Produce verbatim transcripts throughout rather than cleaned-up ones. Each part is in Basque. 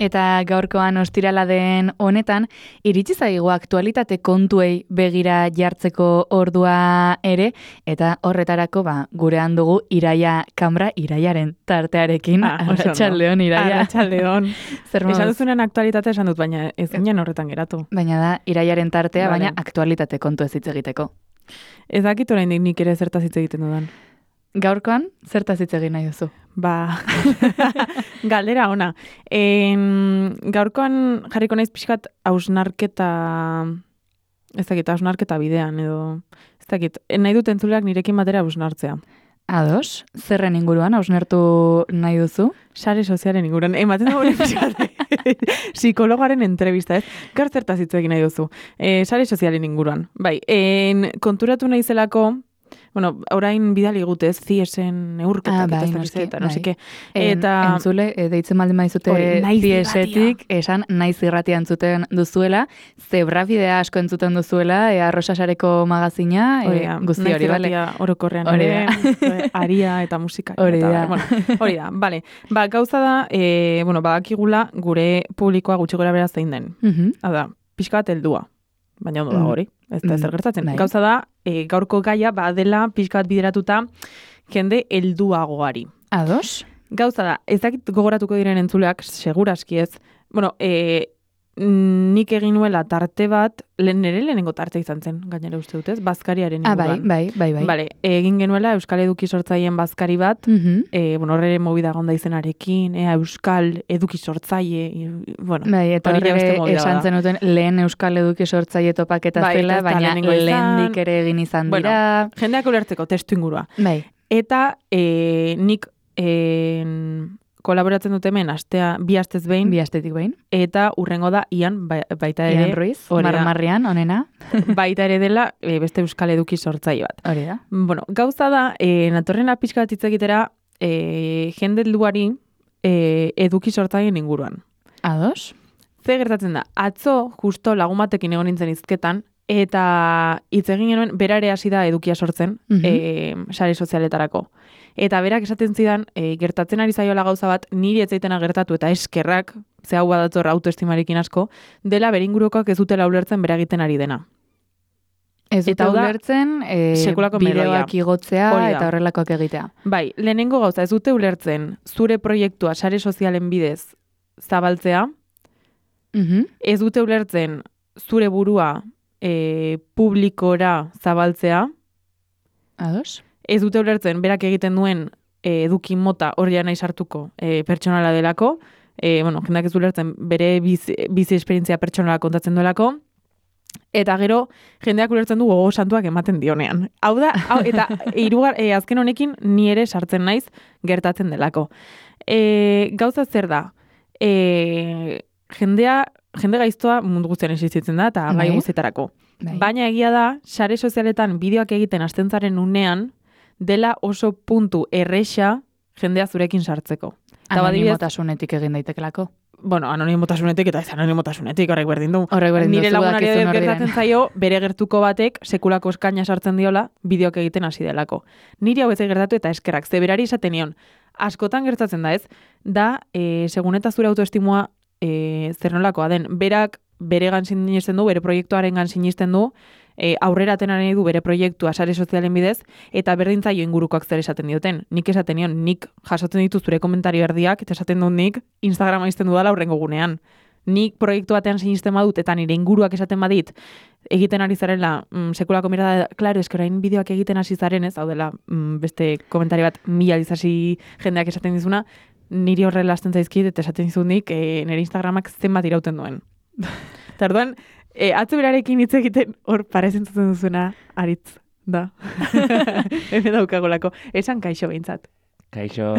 Eta gaurkoan ostirala den honetan, iritsi zaigu aktualitate kontuei begira jartzeko ordua ere, eta horretarako ba, gurean dugu Iraia Kamra, Iraiaren tartearekin. Ah, Arratsaldeon, Iraia. Arratsaldeon. Zer moduz? Esan duzunen aktualitate esan dut, baina ez ginen horretan geratu. Baina da, Iraiaren tartea, Vale. baina aktualitate kontu ez hitz egiteko. Ez dakit oraindik nik ere zertaz hitz egiten dudan. Gaurkoan, zertaz hitz egin nahi duzu? Ba, galdera ona. En, gaurkoan jarriko naiz pixkat hausnarketa, ez dakit, hausnarketa bidean, edo, ez dakit, nahi dut entzuleak nirekin batera hausnartzea. Ados, zerren inguruan, hausnertu nahi duzu? Sare sozialen inguruan, ematen dago pixkat, psikologoaren entrevista, ez? Gaur zertaz hitz egin nahi duzu. E, sare sozialen inguruan. Bai, en, konturatu nahi zelako, bueno, orain bidali gutez, ziesen neurketak, Ah, bai, eta ez noski, eta, bai. no seke. En, Eta, entzule, e, deitzen baldin baizute Hori, naiz ziesetik, esan naiz irratia entzuten duzuela, zebrabidea asko entzuten duzuela, e, Arrosasareko magazina, hori e, da, guzti naiz hori, bale? irratia orokorrean Hori ere, da. aria eta musika. Hori eta, da. Bueno, hori da, bale. Ba, gauza da, e, bueno, badakigula gure publikoa gutxi gora bera zein den. Mhm. Hau da, pixka bat heldua. Baina ondo da Mm. hori, ez da ezer Mm, gertatzen. bai. Gauza da, e, gaurko gaia badela pixka bat bideratuta jende helduagoari. Ados? Gauza da, ez dakit gogoratuko diren entzuleak, seguraski ez. Bueno, e, nik egin nuela tarte bat, lehen nire lehenengo tarte izan zen, gainera uste dut ez, bazkariaren Ah, bai, inguruan. bai, bai, bai. Vale, egin genuela Euskal Eduki sortzaileen bazkari bat, Mhm. e, bueno, horre movida gonda izenarekin, ea Euskal Eduki sortzaile, i- bueno, Bai, eta hori ja beste horre movida esan da. zenuten lehen Euskal Eduki sortzaile topaketa Bai, zela, ez da baina lehenengo izan. lehendik ere egin izan Bueno, dira. jendeak ulertzeko testu ingurua. Bai, Eta e, nik e, kolaboratzen dut hemen astea, bi astez behin, bi astetik behin. eta urrengo da Ian ba- baita ere, Ian Ruiz, hori da. marmarrian, onena. baita ere dela e, beste Euskal Eduki sortzaile bat. Hori da. Bueno, gauza da, e, natorrena pixka bat hitz egitera, e, jende helduari e, eduki sortzaileen inguruan. Ados? Ze gertatzen da, atzo justo lagun batekin egon nintzen hizketan, eta hitz egin genuen, bera ere hasi da edukia sortzen, Mhm. e, sare sozialetarako. Eta berak esaten zidan, e, gertatzen ari zaiola gauza bat, niri ez zaitena gertatu eta eskerrak, ze hau badator autoestimarekin asko, dela beringurukoak ez dutela ulertzen bera egiten ari dena. Ez dute Eta hau da, ulertzen, e, sekulako bideoak melodia. igotzea Hori da. eta horrelakoak egitea. Bai, lehenengo gauza, ez dute ulertzen zure proiektua sare sozialen bidez zabaltzea, Mhm. ez dute ulertzen zure burua e, publikora zabaltzea, Ados? ez dute ulertzen berak egiten duen e, eduki mota hori nahi sartuko e, pertsonala delako, e, bueno, jendeak ez du ulertzen bere bizi, bizi esperientzia pertsonala kontatzen duelako, eta gero jendeak ulertzen du gogo santuak ematen dionean. Hau da, hau, eta hirugar, e, azken honekin ni ere sartzen naiz gertatzen delako. E, gauza zer da, e, jendea, jende gaiztoa mundu guztian existitzen da, eta gai Bai. guztietarako. Bai. Baina egia da, sare sozialetan bideoak egiten hasten zaren unean, dela oso puntu erresa jendea zurekin sartzeko. Eta badibidez, Anonimotasunetik egin daitekelako. bueno, anonimotasunetik eta ez anonimotasunetik horrek berdin du. Horrek berdin Nire duzu lagunari dakizun hor gertatzen diren. zaio, bere gertuko batek sekulako eskaina sartzen diola, bideoak egiten hasi delako. Niri hau ez gertatu eta eskerrak, ze berari esaten nion. Askotan gertatzen da ez, da, e, segun eta zure autoestimua e, zer nolakoa den. Berak beregan sinisten du, bere proiektuarengan sinisten du, e, aurrera atena nahi du bere proiektua sare sozialen bidez, eta berdin zaio ingurukoak zer esaten dioten. Nik esaten nion, nik jasotzen ditu zure komentario erdiak, eta esaten dut nik Instagrama izten dudala aurrengo gunean. Nik proiektu batean sinisten badut, eta nire inguruak esaten badit, egiten ari zarela, mm, sekulako mirada, klaro, eskerain bideoak egiten hasi zaren ez, hau dela, mm, beste komentari bat mila dizasi jendeak esaten dizuna, niri horrela hasten zaizkit, eta esaten dizut nik, e, nire Instagramak zenbat irauten duen. Eta orduan, e, atzo berarekin hitz egiten hor parezen zuten duzuena aritz, da. Hemen daukagolako. Esan kaixo behintzat. Kaixo.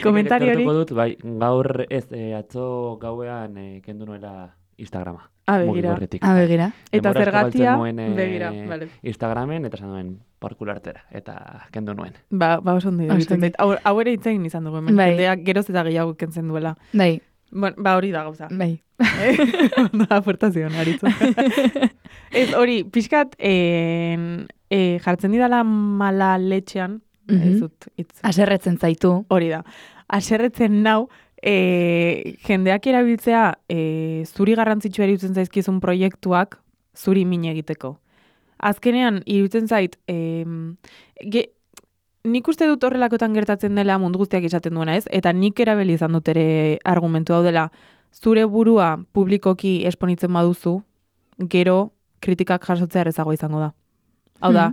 Komentari hori. Gertuko dut, bai, gaur ez, e, atzo gauean e, kendu nuela Instagrama. Ah, begira. Mugikorretik. Ah, begira. Eta Denbora asko zergatia, galtzen nuen, e, begira, vale. Instagramen, eta esan duen parkulartera, eta kendu nuen. Ba, ba oso ondo iruditzen Oso zait. Hau, hau ere hitz egin izan dugu, hemen Bai. jendeak geroz eta gehiago kentzen duela. Bai, Bueno, ba hori da gauza. bai. Da, aportazioan, aritzu. Ez, hori, pixkat, en, e, jartzen didala mala letxean, Mhm. ez dut, hitz. Aserretzen zaitu. Hori da. Aserretzen nau, e, jendeak erabiltzea e, zuri garrantzitsua iruditzen zaizkizun proiektuak zuri min egiteko. Azkenean, iruditzen zait, e, ge, nik uste dut horrelakotan gertatzen dela mundu guztiak izaten duena, ez? Eta nik erabili izan dut ere argumentu hau dela, zure burua publikoki esponitzen baduzu, gero kritikak jasotzea errezago izango da. Hau da,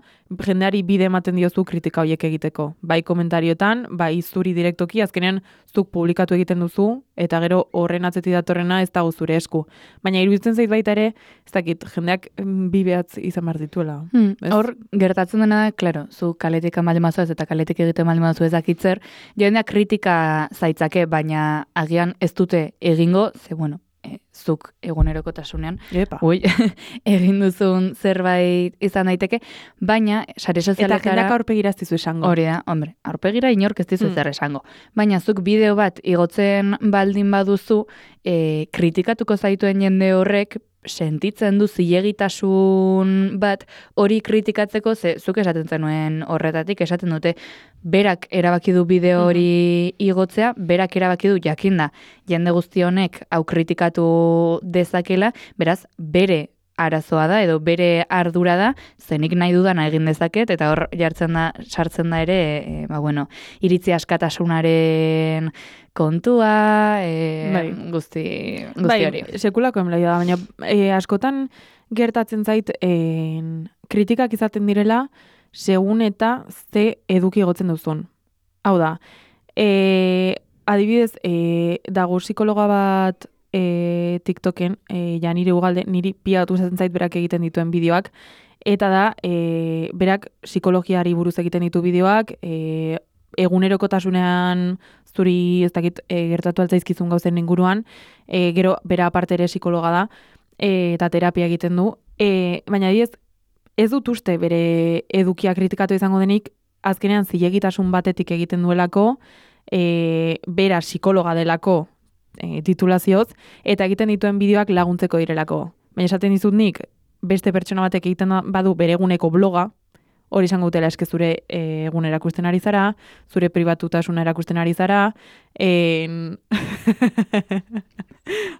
jendeari bide ematen diozu kritika horiek egiteko. Bai komentariotan, bai zuri direktoki, azkenean zuk publikatu egiten duzu, eta gero horren atzetik datorrena ez dago zure esku. Baina iruditzen zait baita ere, ez dakit, jendeak bi behatz izan behar dituela. Hmm, hor, gertatzen dena da, klaro, zu kaletik amalde mazu ez eta kaletik egiten amalde mazu ezakitzer, jendeak kritika zaitzake, baina agian ez dute egingo, ze bueno, E, zuk egunerokotasunean, Epa. ui, egin duzun zerbait izan daiteke, baina sare sozialetara... Eta jendak aurpegira ez dizu esango. Hori da, hombre, aurpegira inork ez dizu Mm. zer esango. Baina zuk bideo bat igotzen baldin baduzu, e, kritikatuko zaituen jende horrek, sentitzen du zilegitasun bat hori kritikatzeko, ze zuk esaten zenuen horretatik, esaten dute, berak erabaki du bideo hori igotzea, berak erabaki du jakinda jende guzti honek hau kritikatu dezakela, beraz, bere arazoa da, edo bere ardura da, zenik nahi dudana egin dezaket, eta hor jartzen da, sartzen da ere, e, ba, bueno, iritzi askatasunaren kontua, e, Bai. guzti, guzti Bai, hori. sekulako enblaio da, baina e, askotan gertatzen zait e, kritikak izaten direla segun eta ze eduki egotzen duzun. Hau da, e, adibidez, e, dago psikologa bat e, TikToken, e, ja nire ugalde, niri piatu zaten zait berak egiten dituen bideoak, eta da, e, berak psikologiari buruz egiten ditu bideoak, e, egunerokotasunean zuri ez dakit e, gertatu altzaizkizun gauzen inguruan, e, gero bera aparte ere psikologa da, e, eta terapia egiten du, e, baina diez, ez dut uste bere edukia kritikatu izango denik, azkenean zilegitasun batetik egiten duelako, e, bera psikologa delako e, titulazioz, eta egiten dituen bideoak laguntzeko direlako. Baina esaten dizut nik, beste pertsona batek egiten badu bere eguneko bloga, hori izango dutela eske zure e, egun erakusten ari zara, zure pribatutasuna erakusten ari zara, en...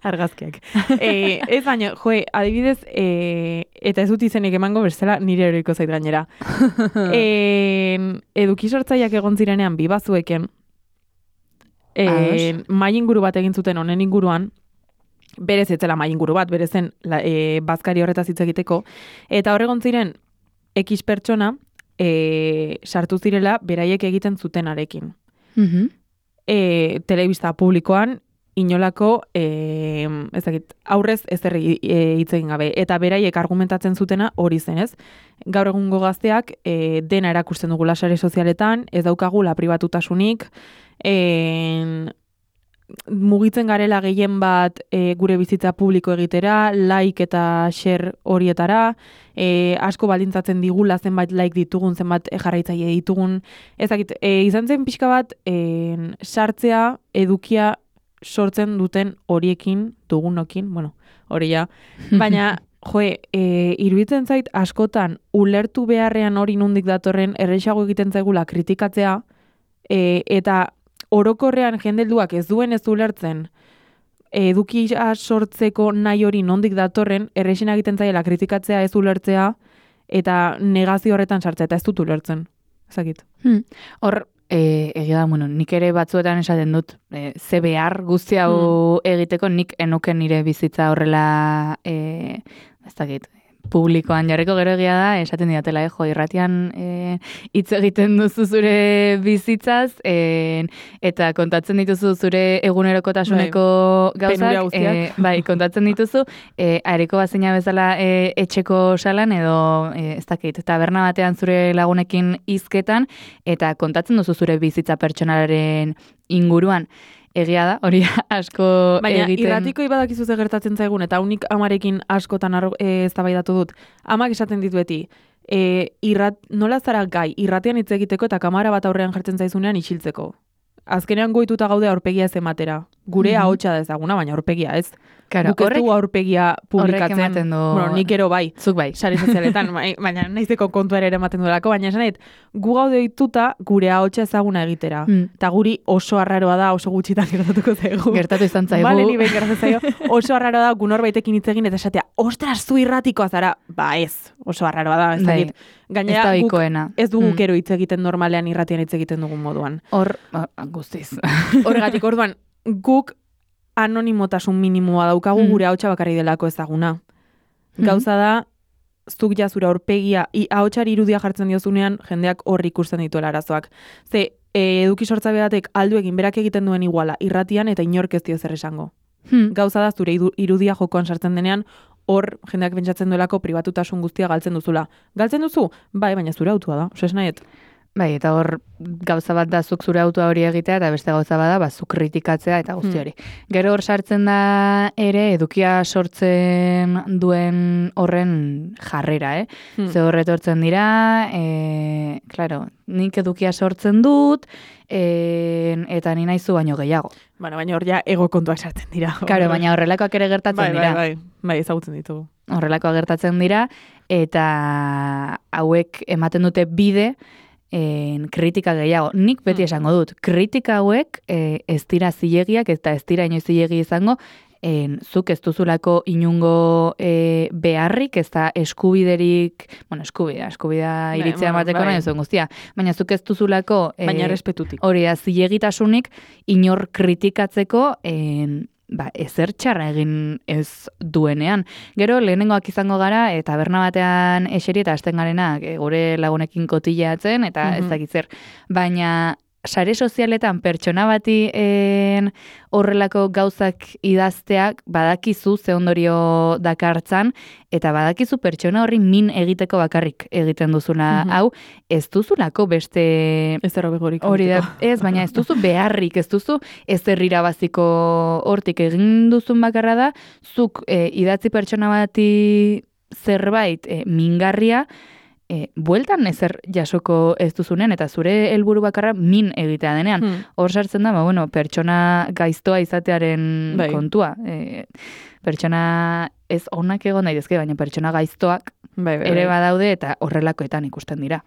argazkiak. E, ez baina, joe, adibidez, e, eta ez dut izenik emango bestela nire eroiko zait gainera. E, eduki sortzaileak egon zirenean bi bazueken, e, mai inguru bat egin zuten honen inguruan, berez etzela mai inguru bat, berezen la, e, bazkari horretaz hitz egiteko, eta horregon ziren X pertsona e, sartu zirela beraiek egiten zutenarekin. Mhm. E, telebista publikoan, inolako, e, ez dakit, aurrez ezer e, hitz egin gabe. Eta beraiek argumentatzen zutena hori zen, ez? Gaur egungo gazteak e, dena erakusten dugula sare sozialetan, ez daukagula pribatutasunik, e, mugitzen garela gehien bat e, gure bizitza publiko egitera, like eta share horietara, e, asko baldintzatzen digula zenbait like ditugun, zenbat jarraitzaile ditugun. Ez dakit, e, izan zen pixka bat e, sartzea edukia sortzen duten horiekin, dugunokin, bueno, hori ja. Baina, joe, e, iruditzen zait askotan ulertu beharrean hori nondik datorren erresago egiten zaigula kritikatzea, e, eta orokorrean jendelduak ez duen ez ulertzen edukia sortzeko nahi hori nondik datorren, errexen egiten zaiela kritikatzea ez ulertzea eta negazio horretan sartzea eta ez dut ulertzen. Ezakit. Hmm. Hor, e, egia da, bueno, nik ere batzuetan esaten dut, e, ze behar guzti hau egiteko, nik enuken nire bizitza horrela, e, ez dakit, publikoan jarriko, gero egia da, esaten diatela, eh, jo, irratian e, hitz egiten duzu zure bizitzaz, e, eta kontatzen dituzu zure egunerokotasuneko gauzak, e, bai, kontatzen dituzu, e, areko bazina bezala e, etxeko salan, edo, e, ez dakit, taberna batean zure lagunekin hizketan, eta kontatzen duzu zure bizitza pertsonalaren inguruan. Egia da, hori asko Baina, egiten... Baina irratiko ibadakizu ze gertatzen zaigun, eta unik amarekin askotan e, eztabaidatu dut, amak esaten ditu beti, e, irrat, nola zara gai, irratean hitz egiteko eta kamara bat aurrean jartzen zaizunean isiltzeko. Azkenean goituta gaude aurpegia ez ematera. gure Mhm. ahotsa da ezaguna, baina aurpegia ez. Claro, Guk ez dugu aurpegia publikatzen. ematen du- Bueno, nik ero bai. Zuk bai. Sare sozialetan, bai, baina naizeko kontua ere ematen duelako, baina esan nahi, gu gaude dituta gure ahotsa ezaguna egitera. Mm. Eta guri oso arraroa da, oso gutxitan gertatuko zaigu. Gertatu izan zaigu. Bale, ni behin gertatu zaio, oso arraroa da, gu norbaitekin hitz egin eta esatea, ostras, zu irratikoa zara. Ba ez, oso arraroa da, ez Bai, dakit. Gainera, ez da guk ohikoena. ez dugu Mm. kero hitz egiten normalean irratian hitz egiten dugun moduan. Hor, ba, guztiz. Horregatik, orduan, guk anonimotasun minimoa daukagu Mm. gure ahotsa bakarri delako ezaguna. Mm. Gauza da, zuk ja zure aurpegia, i, ahotsari irudia jartzen diozunean, jendeak hor ikusten dituela arazoak. Ze, e, eduki sortzaile batek aldu egin berak egiten duen iguala, irratian eta inork ez dio zer esango. Hmm. Gauza da, zure idu- irudia jokoan sartzen denean, hor jendeak pentsatzen duelako pribatutasun guztia galtzen duzula. Galtzen duzu? Bai, baina zure autua da. Oso esnahiet. Bai, eta hor gauza bat da zuk zure autoa hori egitea, eta beste gauza bat da, ba, zuk kritikatzea eta guzti Hmm. hori. Gero hor sartzen da ere, edukia sortzen duen horren jarrera, eh? Hmm. Ze horret hortzen dira, e, claro, nik edukia sortzen dut, e, eta ni naizu baino gehiago. Bueno, baina hor ja ego kontuak sartzen dira. Claro, baina horrelakoak ere gertatzen bai, dira. bai, bai, bai, ezagutzen ditugu. Horrelakoak gertatzen dira, eta hauek ematen dute bide, en, kritika gehiago. Nik beti Mm. esango dut, kritika hauek e, ez dira zilegiak eta ez dira inoiz zilegi izango, en, zuk ez duzulako inungo e, beharrik, ez da eskubiderik, bueno, eskubidea, eskubidea Bai, iritzea bueno, emateko bai. nahi zuen guztia, baina zuk ez duzulako e, Baina respetutik. hori da zilegitasunik inor kritikatzeko en, ba, ezer txarra egin ez duenean. Gero, lehenengoak izango gara, eta taberna batean eseri eta hasten garenak e, gure lagunekin kotillatzen, eta Mhm. ez dakit zer. Baina, sare sozialetan pertsona bati en, horrelako gauzak idazteak badakizu ze ondorio dakartzan, eta badakizu pertsona horri min egiteko bakarrik egiten duzula Mhm. hau, ez duzulako beste Ez erro begorik. hori da, ez, baina ez duzu beharrik, ez duzu ez irabaziko hortik egin duzun bakarra da, zuk e, idatzi pertsona bati zerbait e, mingarria, e, bueltan ezer jasoko ez duzunen, eta zure helburu bakarra min egitea denean. Hmm. Hor sartzen da, ba, bueno, pertsona gaiztoa izatearen Bai. kontua. E, pertsona ez onak egon daitezke, baina pertsona gaiztoak Bai, bai, ere bai. badaude eta horrelakoetan ikusten dira.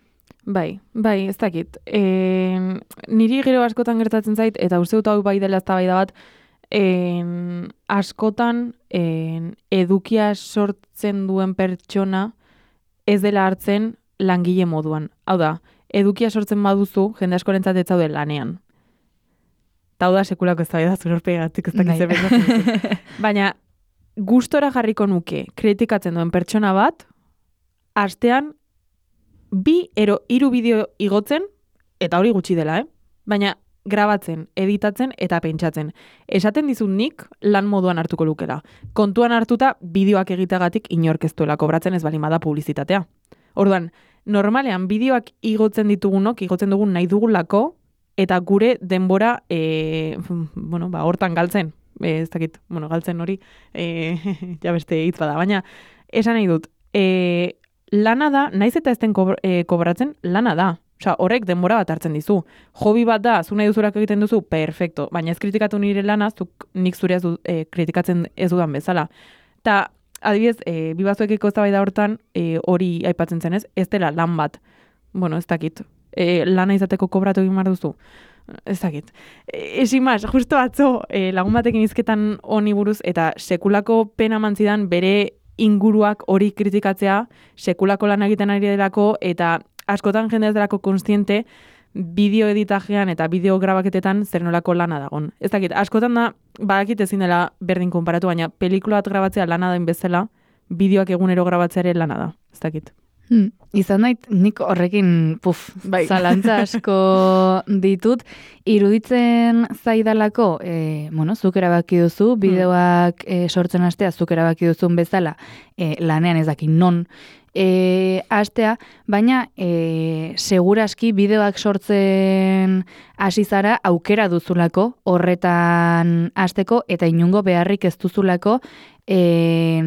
Bai, bai, ez dakit. E, niri gero askotan gertatzen zait, eta uste dut hau bai dela eztabaida bat, en, askotan en, edukia sortzen duen pertsona ez dela hartzen langile moduan. Hau da, edukia sortzen baduzu, jende askorentzat ez zaude lanean. Eta hau da sekulako eztabaida zure aurpegatik ez dakit Bai. zer pentsatzen duzu. Baina, gustora jarriko nuke kritikatzen duen pertsona bat, astean bi ero hiru bideo igotzen, eta hori gutxi dela, eh? Baina grabatzen, editatzen eta pentsatzen. Esaten dizut nik lan moduan hartuko lukela. Kontuan hartuta bideoak egiteagatik inork ez duela kobratzen ez balin bada publizitatea. Orduan, normalean bideoak igotzen ditugunok, igotzen dugun nahi dugulako, eta gure denbora, e, bueno, ba, hortan galtzen. E, ez dakit, bueno, galtzen hori, e, ja beste hitz bada, baina esan nahi dut, e, lana da, naiz eta ez den kobr- e, kobratzen, lana da. Osea, horrek denbora bat hartzen dizu. Hobi bat da, zu nahi duzurak egiten duzu, perfecto. Baina ez kritikatu nire lana, zuk nik zure ez du, e, kritikatzen ez dudan bezala. Ta, adibidez, e, bibazuekiko eztabaida hortan, e, hori aipatzen zenez, ez dela lan bat. Bueno, ez dakit. E, lana izateko kobratu egin behar duzu. Ez dakit. E, esin mas, justo atzo, e, lagun batekin izketan honi buruz, eta sekulako pena mantzidan bere inguruak hori kritikatzea, sekulako lan egiten ari delako, eta askotan jende ez delako konstiente bideo editajean eta bideo grabaketetan zer nolako lana dagon. Ez dakit, askotan da, badakit ezin dela berdin konparatu, baina pelikula bat grabatzea lana den bezala, bideoak egunero grabatzea ere lana da. Ez dakit. Hmm. Izan nait, nik horrekin puf, Bai. zalantza asko ditut, iruditzen zaidalako, e, bueno, zuk erabaki duzu, bideoak e, sortzen hastea, zuk erabaki duzun bezala, e, lanean ez daki non, e, hastea, baina e, seguraski bideoak sortzen hasi zara aukera duzulako horretan hasteko eta inungo beharrik ez duzulako e,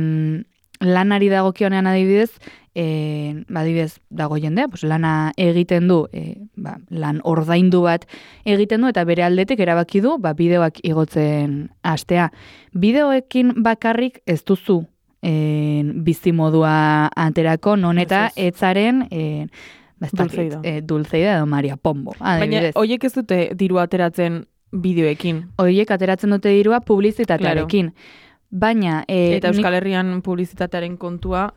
lanari dagokionean adibidez, e, badibidez dago jendea, pues, lana egiten du, e, ba, lan ordaindu bat egiten du, eta bere aldetik erabaki du ba, bideoak igotzen hastea. Bideoekin bakarrik ez duzu e, bizimodua aterako, non eta etzaren... E, Dulceida. E, Dulceida edo Maria Pombo. Baina, hoiek ez dute diru ateratzen bideoekin. Hoiek ateratzen dute dirua publizitatearekin. Claro. Baina... E, eta Euskal Herrian publizitatearen kontua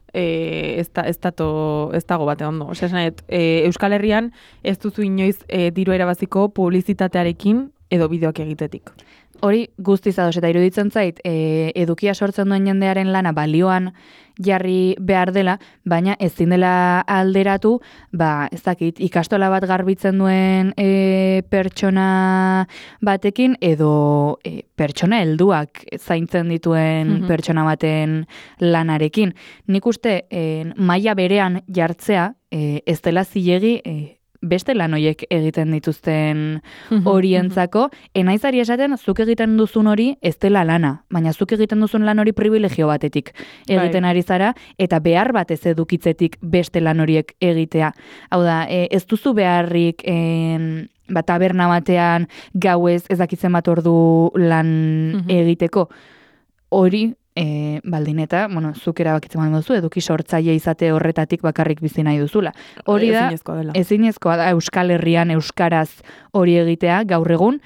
e, ez, da, ez, dato, ez dago bate ondo. Osea, esanet, e, Euskal Herrian ez duzu inoiz e, diru erabaziko publizitatearekin edo bideoak egitetik. Hori guztiz ados eta iruditzen zait, e, edukia sortzen duen jendearen lana balioan jarri behar dela, baina ezin dela alderatu, ba, ez dakit, ikastola bat garbitzen duen e, pertsona batekin, edo e, pertsona helduak zaintzen dituen mm-hmm. pertsona baten lanarekin. Nik uste, e, maila berean jartzea, e, ez dela zilegi, e, beste lan horiek egiten dituzten horientzako, enaizari esaten zuk egiten duzun hori ez dela lana, baina zuk egiten duzun lan hori privilegio batetik egiten ari zara, eta behar bat ez edukitzetik beste lan horiek egitea. Hau da, ez duzu beharrik en, ba, taberna batean gauez ez dakitzen bat ordu lan egiteko. Hori, E, baldin eta, bueno, zuk erabakitzen baldin duzu, eduki sortzaile izate horretatik bakarrik bizi nahi duzula. Hori da, ezinezkoa da Euskal Herrian euskaraz hori egitea gaur egun,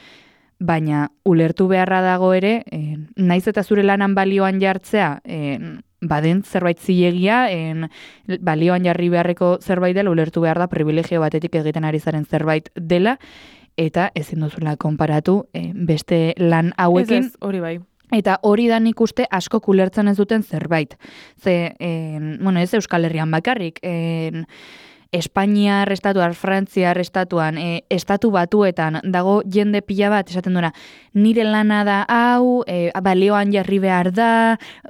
baina ulertu beharra dago ere, e, naiz eta zure lanan balioan jartzea, e, baden zerbait zilegia, en, balioan jarri beharreko zerbait dela, ulertu behar da privilegio batetik egiten ari zaren zerbait dela, eta ezin duzula konparatu e, beste lan hauekin. Ez ez, hori bai. Eta hori da nik uste asko kulertzen ez duten zerbait. Ze, en, bueno, ez Euskal Herrian bakarrik, en, Espainiar estatuan, Frantziar estatuan, e, estatu batuetan dago jende pila bat, esaten duena, nire lana da hau, e, balioan jarri behar da,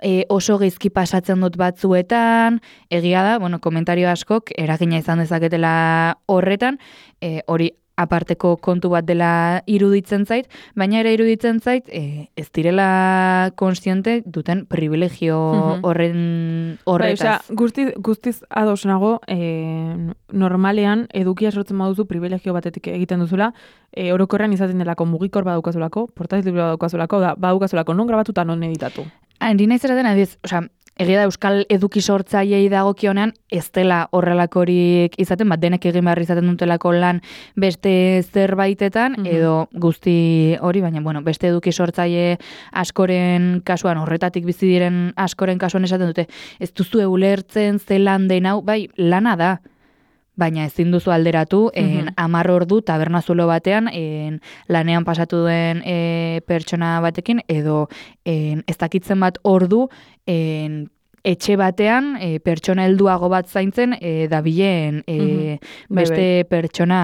e, oso geizki pasatzen dut batzuetan, egia da, bueno, komentario askok eragina izan dezaketela horretan, e, hori aparteko kontu bat dela iruditzen zait, baina ere iruditzen zait e, ez direla konstiente duten privilegio horren horretaz. Bai, osea, guztiz, guztiz ados nago, e, normalean edukia sortzen baduzu privilegio batetik egiten duzula, e, orokorrean izaten delako mugikor badaukazulako, portaiz libro badaukazulako, da, badaukazulako non grabatuta non editatu. Handi nahi zeraten, adiz, osea, egia da Euskal eduki sortzaileei dagokionean ez dela horrelakorik izaten, bat denek egin behar izaten dutelako lan beste zerbaitetan, mm-hmm. edo guzti hori, baina bueno, beste eduki sortzaile askoren kasuan, horretatik bizi diren askoren kasuan esaten dute, ez duzu ulertzen ze lan den hau, bai, lana da, baina ezin duzu alderatu, en, amar ordu tabernazulo batean, en, lanean pasatu duen e, pertsona batekin, edo en, ez dakitzen bat ordu, en, etxe batean e, pertsona helduago bat zaintzen e, dabilen e, mm-hmm. beste Bebe. pertsona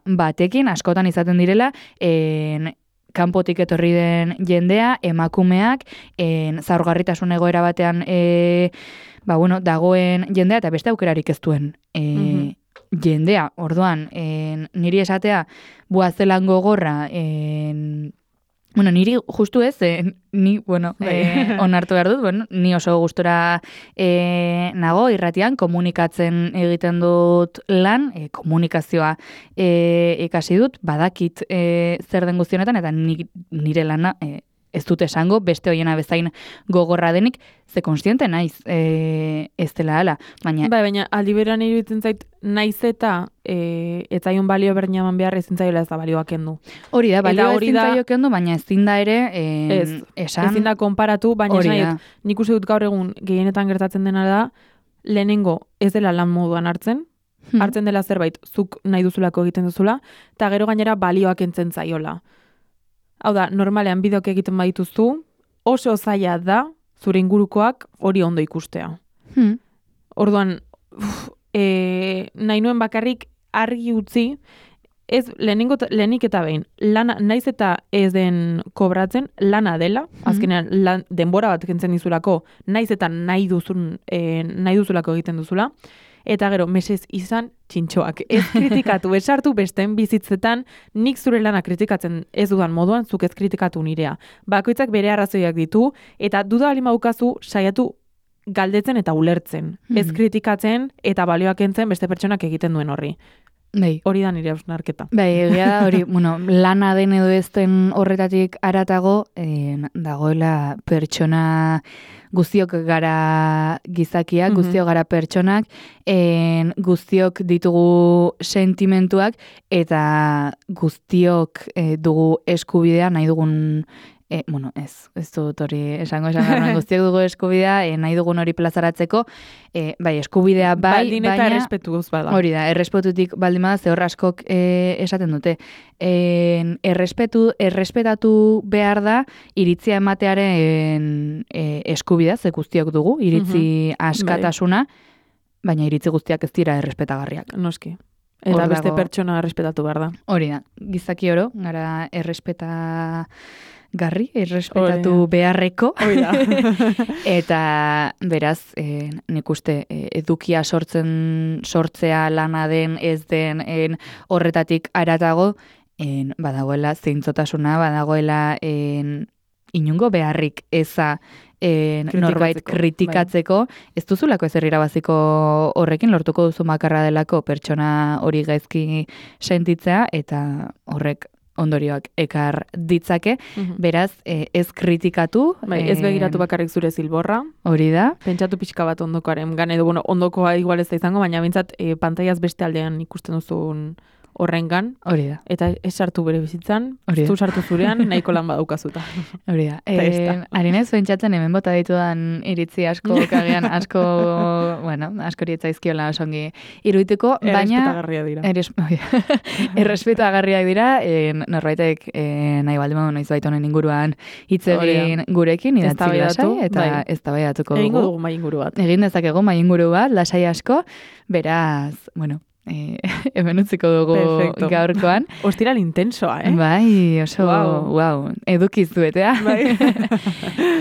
batekin, askotan izaten direla, en, kanpotik etorri den jendea, emakumeak, en, zaurgarritasun egoera batean e, ba, bueno, dagoen jendea, eta beste aukerarik ez duen e, mm-hmm. jendea, orduan, en, niri esatea, buazelan gogorra, en, bueno, niri justu ez, eh, ni, bueno, eh, onartu behar dut, bueno, ni oso gustora eh, nago, irratian, komunikatzen egiten dut lan, eh, komunikazioa eh, ikasi dut, badakit eh, zer den guztionetan, eta ni, nire lana eh, ez dut esango, beste hoiena bezain gogorra denik, ze konstiente naiz e, ez dela ala. Baina, bai, baina aldi berean iruditzen zait, naiz eta e, ez zaion balio berdina eman behar ezin zaiola ez da balioak kendu. Hori da, balioa ezin zaio kendu, baina ezin da ere e, ez, esan. Ezin da konparatu, baina esan nahi, nik uste dut gaur egun gehienetan gertatzen dena da, lehenengo ez dela lan moduan hartzen, hmm. hartzen dela zerbait zuk nahi duzulako egiten duzula, eta gero gainera balioak entzen zaiola. Hau da, normalean bideok egiten badituzu, oso zaila da, zure ingurukoak hori ondo ikustea. Hmm. Orduan, uf, e, nahi nuen bakarrik argi utzi, ez lehenengo, lehenik eta behin, lana, naiz eta ez den kobratzen, lana dela, azkenean lan, denbora bat kentzen dizulako, naiz eta nahi duzun, e, nahi duzulako egiten duzula, eta gero, mesez izan txintxoak. Ez kritikatu, esartu besteen bizitzetan, nik zure lana kritikatzen ez dudan moduan, zuk ez kritikatu nirea. Bakoitzak bere arrazoiak ditu, eta duda alima ukazu saiatu galdetzen eta ulertzen. Ez Mhm. kritikatzen eta balioak entzen beste pertsonak egiten duen horri. Bai. Hori da nire hausnarketa. Bai, egia da hori, bueno, lana den edo ez den horretatik aratago, eh, dagoela pertsona guztiok gara gizakiak, Mhm. guztiok gara pertsonak, en, guztiok ditugu sentimentuak eta guztiok eh, dugu eskubidea nahi dugun E, bueno, ez, ez dut hori esango esan garran, guztiak dugu eskubidea, e, nahi dugun hori plazaratzeko, e, bai, eskubidea bai, Baldin eta baina... errespetuz bada. Hori da, errespetutik baldin bada, ze hor askok e, esaten dute. En, errespetu, errespetatu behar da, iritzia ematearen e, eskubidea, ze guztiok dugu, iritzi askatasuna, baina iritzi guztiak ez dira errespetagarriak. Noski. Eta Hor beste dago- pertsona errespetatu behar da. Hori da, gizaki oro, gara errespeta garri, errespetatu Hori da. beharreko. Hoi da. Eta beraz, e, nik uste e, edukia sortzen sortzea lana den ez den en, horretatik aratago, en, badagoela zeintzotasuna, badagoela en, inungo beharrik eza en, norbait Kritikatzeko, kritikatzeko, ez duzulako ezer irabaziko horrekin, lortuko duzu makarra delako pertsona hori gaizki sentitzea, eta horrek ondorioak ekar ditzake, Mhm. beraz, eh, ez kritikatu. Bai, ez eh, begiratu bakarrik zure zilborra, Hori da, pentsatu pixka bat ondokoaren, gan edo, bueno, ondokoa igual ez da izango, baina bintzat e, pantaiaz beste aldean ikusten duzun horrengan, hori da, eta ez sartu bere bizitzan, Hori ez da. du sartu zurean, nahiko lan badaukazuta. hori da. Eta ez da. Eh, Harinez, pentsatzen hemen bota ditudan iritzi asko, kagean asko, bueno, asko rietzaizkiola osongi irudituko, baina... Errespetagarria dira. Eres, errespetagarriak dira, eh, norbaitek eh, nahi baldin badu noiz honen inguruan hitz Hori da. egin gurekin, idatzi Eztabaidatu, lasai, eta bai. eztabaidatuko Egingo dugu. dugu mai inguru bat. Egin dezakegu mai inguru bat, lasai asko, beraz, bueno, eh, hemen utziko dugu Perfecto. gaurkoan. Ostiral intensoa, eh? Bai, oso, Guau. wow, edukiz duetea. Bai.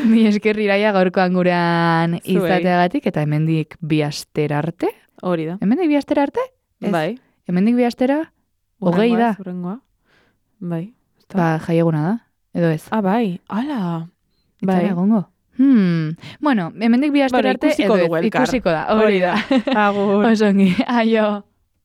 Ni esker iraia gaurkoan gurean Zuei. izateagatik, eta hemendik bi astera arte? Hori da. Hemendik bi astera arte? Ez. Bai. Hemendik bi astera? Hogei Hurrengoa da. ez, hurrengoa. Bai. Ezta? Ba, jaieguna da, edo ez? Ah, bai. Ala. Bai. Bai. Egongo. Hmm. Bueno, hemendik bi astera Bueno, arte, ikusiko edo ez? dugu elkar. Ikusiko da, hori da. Agur. Osongi, aio.